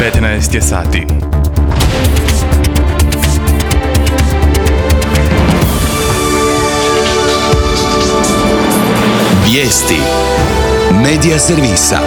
15 je sati. Vijesti Medija servisa.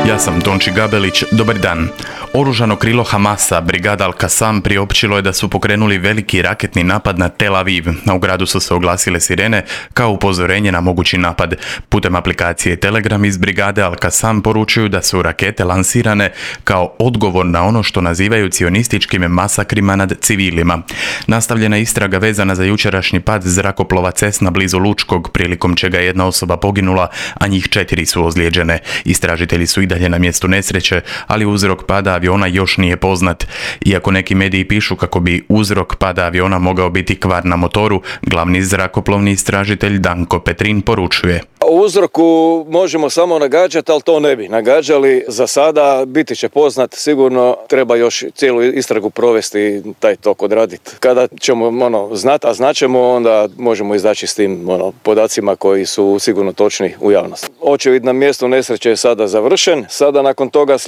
Ja sam Tonči Gabelić, dobar dan. Oružano krilo Hamasa, brigada Al-Qassam, priopćilo je da su pokrenuli veliki raketni napad na Tel Aviv. U gradu su se oglasile sirene kao upozorenje na mogući napad. Putem aplikacije Telegram iz brigade Al-Qassam poručuju da su rakete lansirane kao odgovor na ono što nazivaju cionističkim masakrima nad civilima. Nastavljena istraga vezana za jučerašnji pad zrakoplova Cessna blizu Lučkog, prilikom čega je jedna osoba poginula, a njih 4 su ozlijeđene. Istražitelji su i dalje na mjestu nesreće, ali uzrok pada aviona još nije poznat. Iako neki mediji pišu kako bi uzrok pada aviona mogao biti kvar na motoru, glavni zrakoplovni istražitelj Danko Petrin poručuje: O uzroku možemo samo nagađati, ali to ne bi nagađali. Za sada biti će poznat, sigurno treba još cijelu istragu provesti, taj tok odraditi. Kada ćemo znati, a znaćemo, onda možemo izaći s tim podacima koji su sigurno točni u javnosti. Očevid na mjestu nesreće je sada završen. Sada nakon toga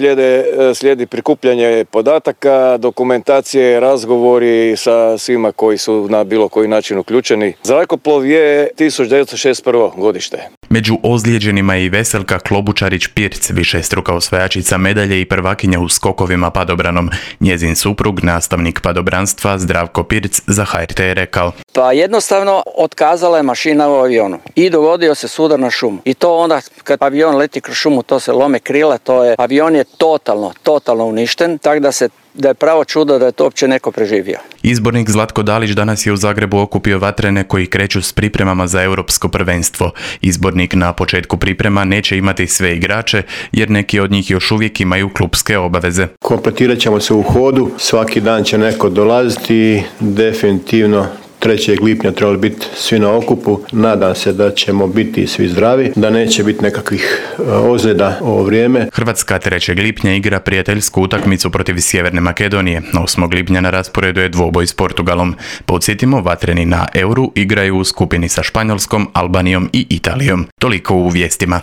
slijedi prikupljanje podataka, dokumentacije, razgovori sa svima koji su na bilo koji način uključeni. Zrakoplov je 1961. godište. Među ozlijeđenima je i Veselka Klobučarić-Pirc, višestruka osvajačica medalje i prvakinja u skokovima padobranom. Njezin suprug, nastavnik padobranstva Zdravko Pirc, za HRT je rekao: Pa jednostavno otkazala je mašina u avionu i dogodio se sudar na šumu. I to onda kad avion leti kroz šumu, to se lome krila, avion je totalno uništen, tako da je pravo čudo da je to uopće neko preživio. Izbornik Zlatko Dalić danas je u Zagrebu okupio vatrene koji kreću s pripremama za europsko prvenstvo. Izbornik na početku priprema neće imati sve igrače jer neki od njih još uvijek imaju klupske obaveze. Kompletirat ćemo se u hodu, svaki dan će neko dolaziti, definitivno 3. lipnja trebali biti svi na okupu. Nadam se da ćemo biti svi zdravi, da neće biti nekakvih ozljeda ovo vrijeme. Hrvatska 3. lipnja igra prijateljsku utakmicu protiv Sjeverne Makedonije. 8. lipnja na rasporedu je dvoboj s Portugalom. Podsjetimo, vatreni na Euru igraju u skupini sa Španjolskom, Albanijom i Italijom. Toliko u vijestima.